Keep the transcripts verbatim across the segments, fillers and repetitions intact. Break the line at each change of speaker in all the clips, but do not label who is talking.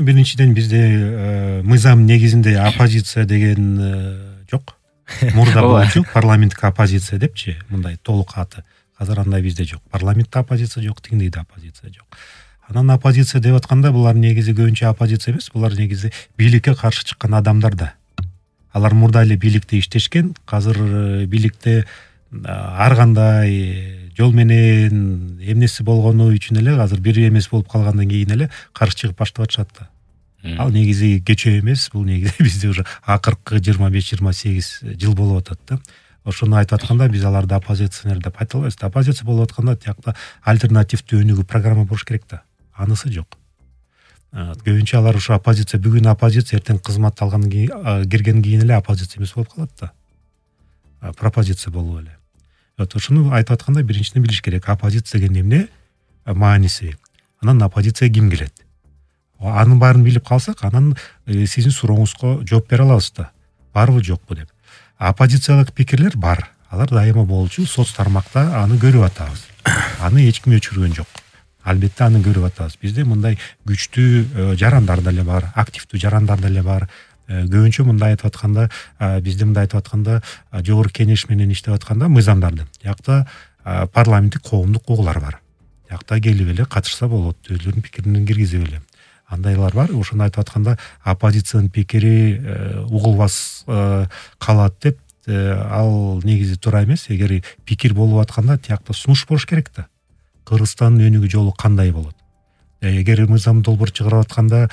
Биринчиден бизде мыйзам негизинде оппозиция деген жок. Мурда болчу парламенттик оппозиция депчи, мындай толук аты. Азыр андай бизде жок. Парламентте оппозиция жок, тигиндейде оппозиция жок. Анан оппозиция деп атканда булар негизи көбүнчө оппозиция эмес, булар негизи бийликке каршы чыккан адамдар да. Алар мурда эле бийликте иштешкен, азыр бийликте ар кандай жол менен эмнеси болгону үчүн эле азыр бир эмес болуп калгандан кийин эле каршы чыгып баштап атышат да. Ал негизи кечээ эмес, бул негизи бизде уже акыркы жыйырма беш жыйырма сегиз жыл болуп атат да. Ошону айтып атканда биз аларды оппозиционер деп айта албайбыз. Оппозиция болуп атканда тиякта альтернативдүү өнүгүү программа болуш керек да. Анысы жок. Көбүнчө алар ушу оппозиция, бүгүн оппозиция, эртең кызмат алгандан кийин киргенден кийин эле оппозиция эмес болуп калат да. Пропозиция болуп эле. Вот ушуну айтып атканда биринчиден билиш керек. Оппозиция деген эмне? Мааниси. Анан оппозиция ким келет? Анын баарын билип калсак, анан сиздин сурооңузга жооп бере алабыз да. Барбы жокпу деп. Оппозициялык пикирлер бар. Алар дайыма болчу, соц тармакта аны көрүп атабыз. Аны эч ким өчүргөн жок. Албетте аны көрүп атабыз. Бизде мындай күчтүү жарандар деле бар, активдүү жарандар деле бар. Көбүнчө мындай айтып атканда, бизде мындай айтып атканда, жогорку кеңеш менен иштеп атканда мыйзамдарды. Жакта парламенттик коомдук угулар бар. Жакта келип эле катышса болот, өздөрүнүн пикирин киргизип эле. Андайлар бар. Ошону айтып атканда оппозициянын пикири угулбас калат деп, ал негизи туура эмес. Эгер пикир болуп атканда тиякта сунуш болуш керек да. Кыргызстандын өнүгүү жолу кандай болот? Эгер мыйзам долбоор чыгарып атканда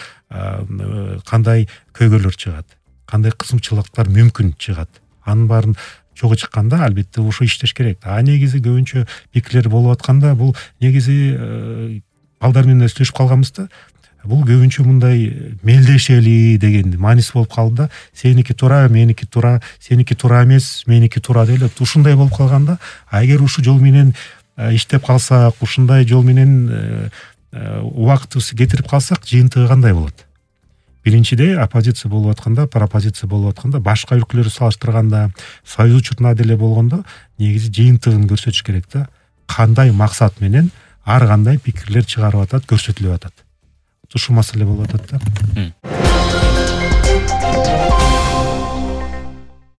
кандай көйгөйлөр чыгат? Кандай кысымчылыктар мүмкүн чыгат? Анын баарын чогуу чыкканда албетте ошо иштеш керек. А негизи көбүнчө пикирлер болуп атканда бул негизи балдар менен сүйлөшүп калганбыз да. Бул көбүнчө мындай мелдешели деген мааниси болуп калды да. Сеники туура, меники туура, сеники туура эмес, меники туура деп ушундай болуп калганда, а эгер ушу жол менен иштеп калсак, ушундай жол менен убактыбызды кетирип калсак, жыйынтыгы кандай болот? Биринчиде оппозиция болуп атканда, пропозиция болуп атканда, башка өлкөлөргө салыштырганда, союз учурунда деле болгондо негизи жыйынтыгын көрсөтүш керек да. Кандай максат менен ар кандай пикирлер чыгарып атат, көрсөтүлүп атат. Ушул маселе болуп атат да.